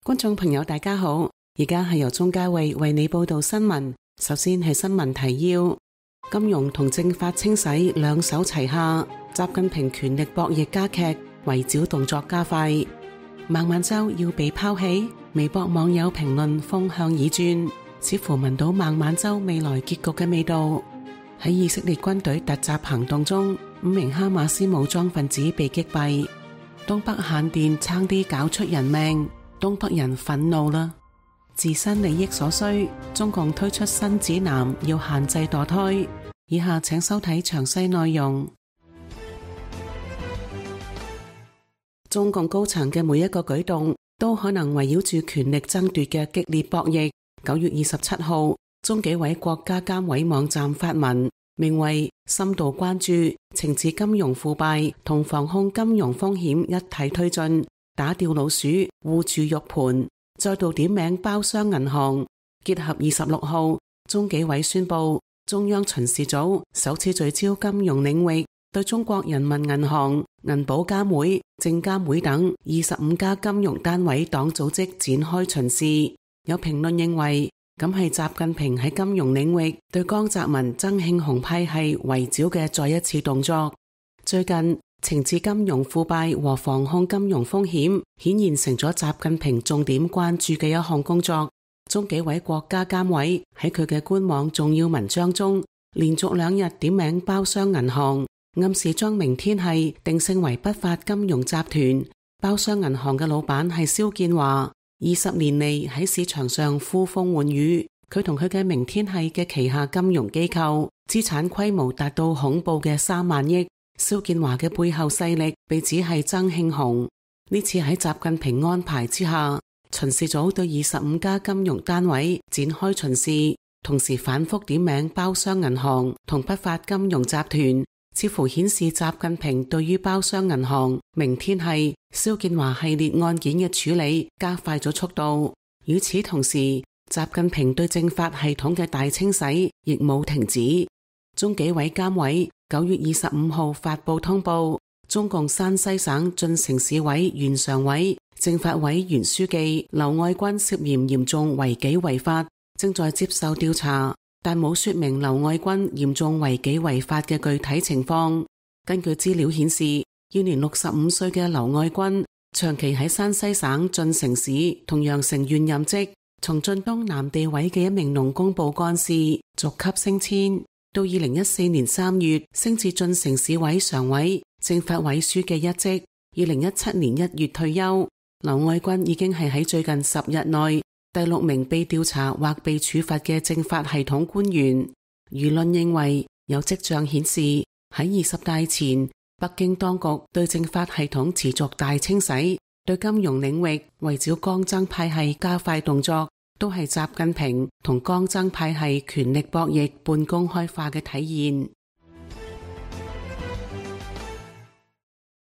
觀眾朋友大家好，而家係由鍾嘉慧為你報道新聞。首先係新聞提要：金融同政法清洗兩手齊下，習近平權力博弈加劇，圍剿動作加快。孟晚舟要被拋棄，微博網友評論風向已轉，似乎聞到孟晚舟未來結局嘅味道。喺以色列軍隊突襲行動中，5名哈馬斯武裝分子被擊斃。東北限電差啲搞出人命，東北人憤怒啦！自身利益所需，中共推出新指南，要限制墮胎。以下請收睇詳細內容。中共高層嘅每一個舉動，都可能圍繞住權力爭奪嘅激烈博弈。9月27號，中紀委國家監委網站發文，名為深度關注懲治金融腐敗同防控金融風險一體推進，打掉老鼠護住肉盤，再度點名包商銀行。結合26號，中紀委宣布，中央巡視組首次聚焦金融領域，對中國人民銀行、銀保監會、證監會等25家金融單位黨組織展開巡視。有評論認為，咁係習近平喺金融領域對江澤民、曾慶紅派系圍剿嘅再一次動作。最近懲治金融腐敗和防控金融風險顯然成咗習近平重點關注嘅一項工作。中紀委國家監委喺佢嘅官網重要文章中，連續2日點名包商銀行，暗示將明天系定性為不法金融集團。包商銀行嘅老闆係肖建華，20年嚟喺市場上呼風喚雨。佢同佢嘅明天系嘅旗下金融機構資產規模達到恐怖嘅3萬億。肖建華嘅背後勢力被指係曾慶紅。呢次喺習近平安排之下，巡視組對25家金融單位展開巡視，同時反覆點名包商銀行同不法金融集團，似乎顯示習近平對於包商銀行、明天系、肖建華系列案件嘅處理加快咗速度。與此同時，習近平對政法系統嘅大清洗亦冇停止。中紀委監委9月25號發布通報，中共山西省晉城市委原常委、政法委原書記劉愛軍涉嫌嚴重違紀違法，正在接受調查，但冇說明劉愛軍嚴重違紀違法嘅具體情況。根據資料顯示，現年65歲嘅劉愛軍長期喺山西省晉城市同陽城縣任職，從晉東南地委嘅一名農工部幹事逐級升遷，到2014年3月升至晉城市委常委、政法委書記一職。2017年1月退休。劉愛軍已經係喺最近10日內第6名被調查或被處罰嘅政法系統官員。輿論認為，有跡象顯示喺20大前，北京當局對政法系統持續大清洗，對金融領域圍剿江曾派系加快動作，都係習近平同江曾派系權力博弈半公開化嘅體現。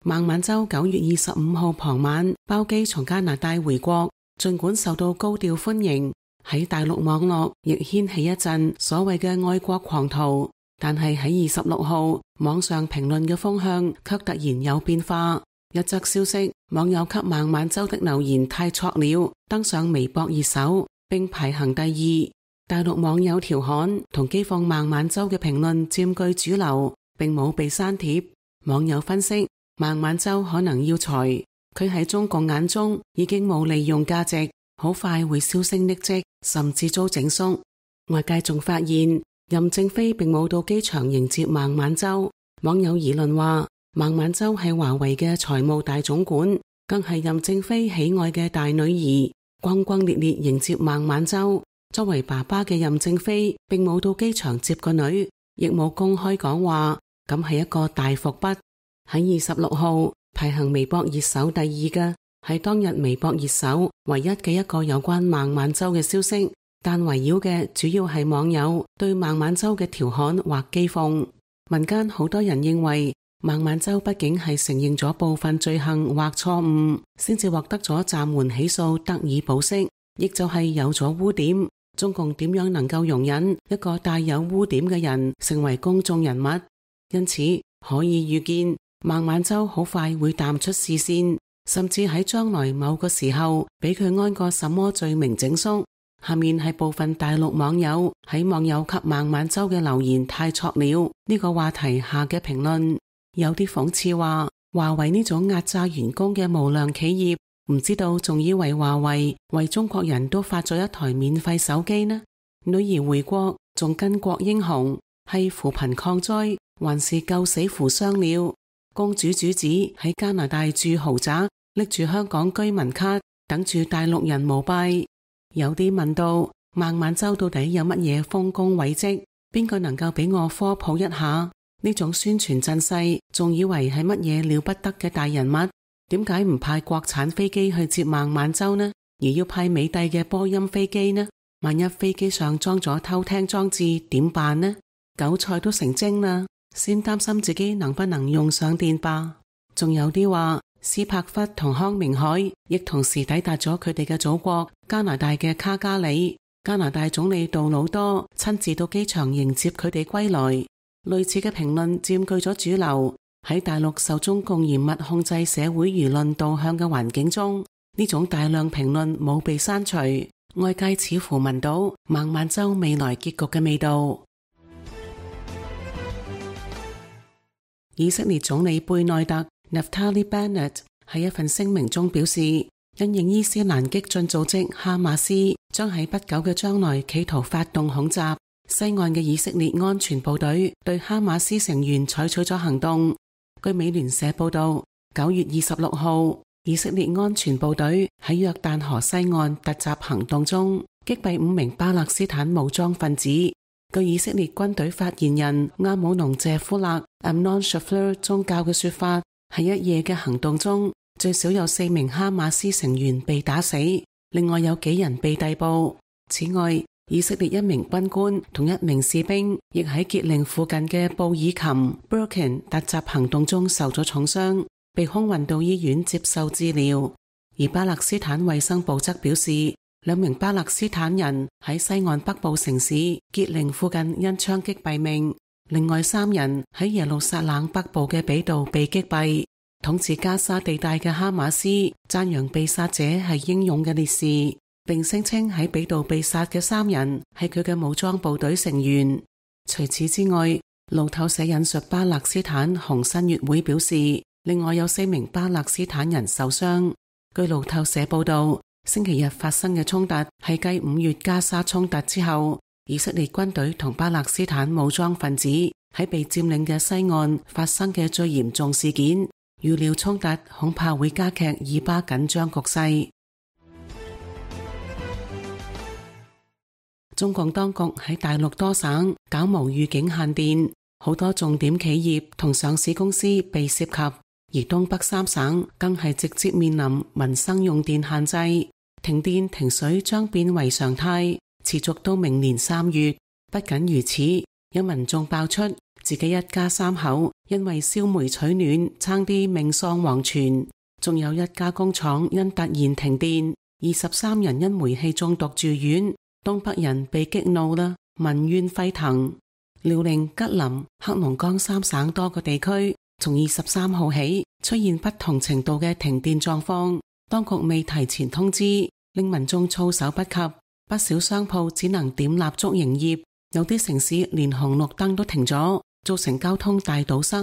孟晚舟9月25號傍晚包機從加拿大回國，盡管受到高調歡迎，喺大陸網絡亦掀起一陣所謂嘅愛國狂徒，但係喺26號網上評論嘅風向卻突然有變化。一則消息，網友給孟晚舟的留言太挫了，登上微博熱搜並排行第2。大陸網友調侃同譏諷孟晚舟嘅評論佔據主流，並冇被刪帖。網友分析，孟晚舟可能要裁，佢喺中共眼中已經冇利用價值，好快會銷聲匿跡，甚至遭整肅。外界仲發現任正非並冇到機場迎接孟晚舟。網友議論話，孟晚舟係華為嘅財務大總管，更係任正非喜愛嘅大女兒，轟轟烈烈迎接孟晚舟。作為爸爸嘅任正非並冇到機場接個女，亦冇公開講話，咁係一個大伏筆。喺26號排行微博熱搜第2嘅係當日微博熱搜唯一嘅一個有關孟晚舟嘅消息，但圍繞嘅主要係網友對孟晚舟嘅調侃或譏諷。民間好多人認為孟晚舟畢竟係承認咗部分罪行或錯誤，先至獲得咗暫緩起訴得以保釋，亦就係有咗污點。中共點樣能夠容忍一個帶有污點嘅人成為公眾人物？因此可以預見孟晚舟好快會淡出視線，甚至喺將來某個時候俾佢安個什麼罪名整肅。下面係部分大陸網友喺網友給孟晚舟嘅留言太錯了呢個話題下嘅評論，有啲諷刺話華為呢種壓榨員工嘅無良企業，唔知道仲以為華為為中國人都發咗一台免費手機呢？女兒回國仲巾幗英雄，係扶貧抗災還是救死扶傷了？公主主子喺加拿大住豪宅，拎住香港居民卡等住大陸人膜拜。有啲問到孟晚舟到底有乜嘢豐功偉績，邊個能夠俾我科普一下？呢種宣傳陣勢仲以為係乜嘢了不得嘅大人物，點解唔派國產飛機去接孟晚舟呢？而要派美帝嘅波音飛機呢？萬一飛機上裝咗偷聽裝置點辦呢？韭菜都成精啦，先擔心自己能不能用上電吧。仲有啲話斯帕弗同康明凱亦同時抵達咗佢哋嘅祖國加拿大嘅卡加里，加拿大總理杜魯多親自到機場迎接佢哋歸來。類似嘅評論佔據咗主流。喺大陸受中共嚴密控制社會輿論導向嘅環境中，呢種大量評論冇被刪除，外界似乎聞到孟晚舟未來結局嘅味道。以色列總理貝內特 Naftali Bennett 喺一份聲明中表示，因應伊斯蘭激進組織哈馬斯將喺不久嘅將來企圖發動恐襲，西岸嘅以色列安全部隊對哈馬斯成員採取咗行動。據美聯社報道，9月26號，以色列安全部隊喺約旦河西岸突襲行動中擊斃5名巴勒斯坦武裝分子。據以色列軍隊發言人阿姆農謝夫勒 Amnon Shafler 宗教嘅說法，喺一夜嘅行動中，最少有4名哈馬斯成員被打死，另外有幾人被逮捕。此外，以色列一名軍官同1名士兵亦喺傑寧附近嘅布爾琴 Birkin 突襲行動中受咗重傷，被空運到醫院接受治療。而巴勒斯坦衛生部則表示，2名巴勒斯坦人喺西岸北部城市傑寧附近因槍擊斃命，另外3人喺耶路撒冷北部嘅比度被擊斃。統治加沙地帶嘅哈馬斯讚揚被殺者係英勇嘅烈士，並聲稱喺比度被殺嘅3人係佢嘅武裝部隊成員。除此之外，路透社引述巴勒斯坦紅新月會表示，另外有4名巴勒斯坦人受傷。據路透社報道，星期日發生嘅衝突係繼5月加沙衝突之後，以色列軍隊同巴勒斯坦武裝分子喺被佔領嘅西岸發生嘅最嚴重事件。預料衝突恐怕會加劇以巴緊張局勢。中共當局喺大陸多省搞無預警限電，好多重點企業同上市公司被涉及，而東北3省更係直接面臨民生用電限制，停電停水將變為常態，持續到明年3月。不僅如此，有民眾爆出自己一家3口因為燒煤取暖差啲命喪黃泉，仲有一家工廠因突然停電，23人因煤氣中毒住院。東北人被激怒啦，民怨沸騰。遼寧、吉林、黑龍江3省多個地區從23號起出現不同程度嘅停電狀況，當局未提前通知，令民眾措手不及，不少商鋪只能點蠟燭營業，有啲城市連紅綠燈都停咗，造成交通大堵塞。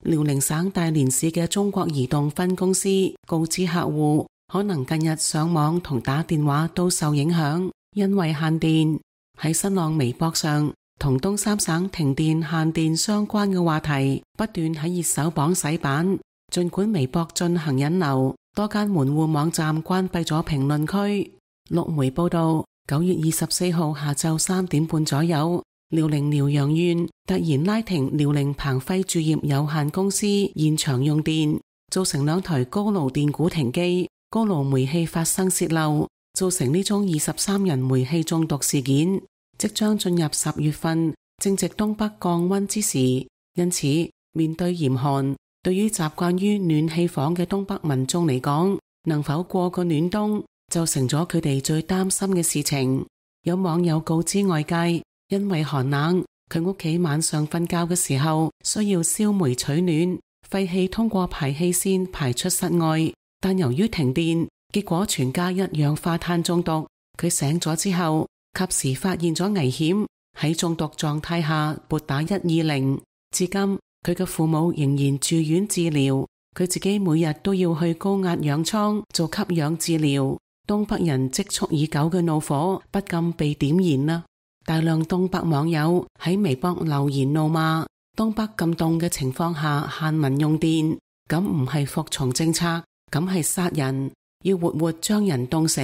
遼寧省大連市嘅中國移動分公司告知客戶，可能近日上網同打電話都受影響，因為限電。喺新浪微博上，同東3省停電限電相關嘅話題不斷喺熱搜榜洗版。盡管微博進行引流，多間門戶網站關閉咗評論區。陸媒報道，9月24號下晝3點半左右，遼寧遼陽縣突然拉停遼寧鵬輝鑄業有限公司現場用電，造成2台高爐電鼓停機，高爐煤氣發生洩漏，造成呢宗23人煤氣中毒事件。即將進入10月份，正值東北降溫之時，因此面對嚴寒，對於習慣於暖氣房嘅東北民眾嚟講，能否過個暖冬就成咗佢哋最擔心嘅事情。有網友告知外界，因為寒冷，佢屋企晚上瞓覺嘅時候需要燒煤取暖，廢氣通過排氣扇排出室外，但由於停電，結果全家一氧化碳中毒。佢醒咗之後，及時發現咗危險，喺中毒狀態下撥打120。至今，佢嘅父母仍然住院治療，佢自己每日都要去高壓氧艙做吸氧治療。東北人積蓄已久嘅怒火不禁被點燃啦！大量東北網友喺微博留言怒罵，東北咁凍嘅情況下限民用電，咁唔係服從政策，咁係殺人，要活活將人凍死。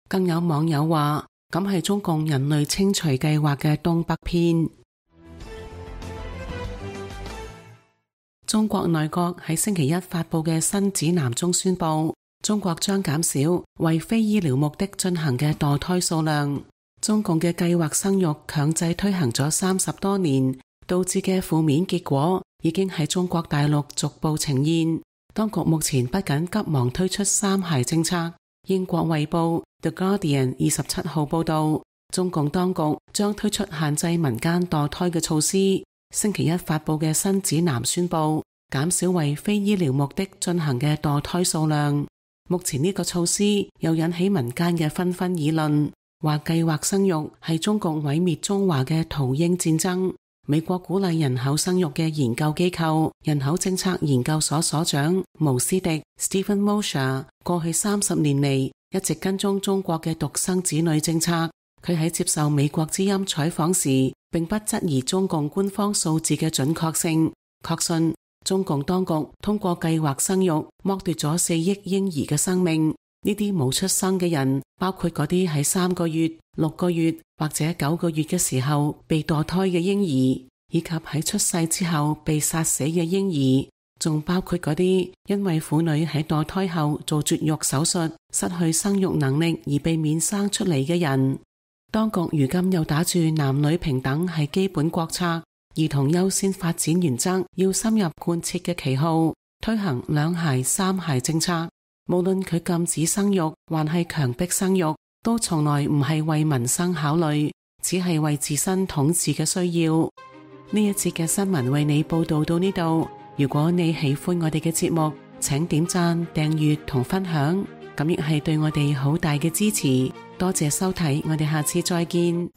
更有網友話，咁係中共人類清除計劃嘅東北篇。中國內閣喺星期一發佈嘅新指南中宣布，中國將減少為非醫療目的進行嘅墮胎數量。中共嘅計劃生育強制推行咗30多年，導致嘅負面結果已經喺中國大陸逐步呈現。當局目前不僅急忙推出3孩政策，英國衛報 The Guardian 27號報道，中共當局將推出限制民間墮胎嘅措施。星期一發佈嘅新指南宣布，減少為非醫療目的進行嘅墮胎數量。目前呢個措施又引起民間嘅紛紛議論，話計劃生育係中共毀滅中華嘅屠嬰戰爭。美國鼓勵人口生育嘅研究機構人口政策研究所所長毛斯迪 Stephen Mosher 過去30年嚟一直跟蹤中國嘅獨生子女政策。佢喺接受美國之音採訪時，並不質疑中共官方數字嘅準確性，確信中共當局通過計劃生育剝奪咗4億嬰兒嘅生命。呢啲冇出生嘅人，包括嗰啲喺3個月、6個月或者9個月嘅時候被墮胎嘅嬰兒，以及喺出世之後被殺死嘅嬰兒，仲包括嗰啲因為婦女喺墮胎後做絕育手術失去生育能力而被免生出嚟嘅人。當局如今又打住男女平等係基本國策、兒童優先發展原則要深入貫徹嘅旗號，推行2孩3孩政策。無論佢禁止生育還係強迫生育，都從來唔係為民生考慮，只係為自身統治嘅需要。呢一節嘅新聞為你報道到呢度。如果你喜歡我哋嘅節目，請點讚、訂閱同分享，咁亦係對我哋好大嘅支持。多謝收睇，我哋下次再見。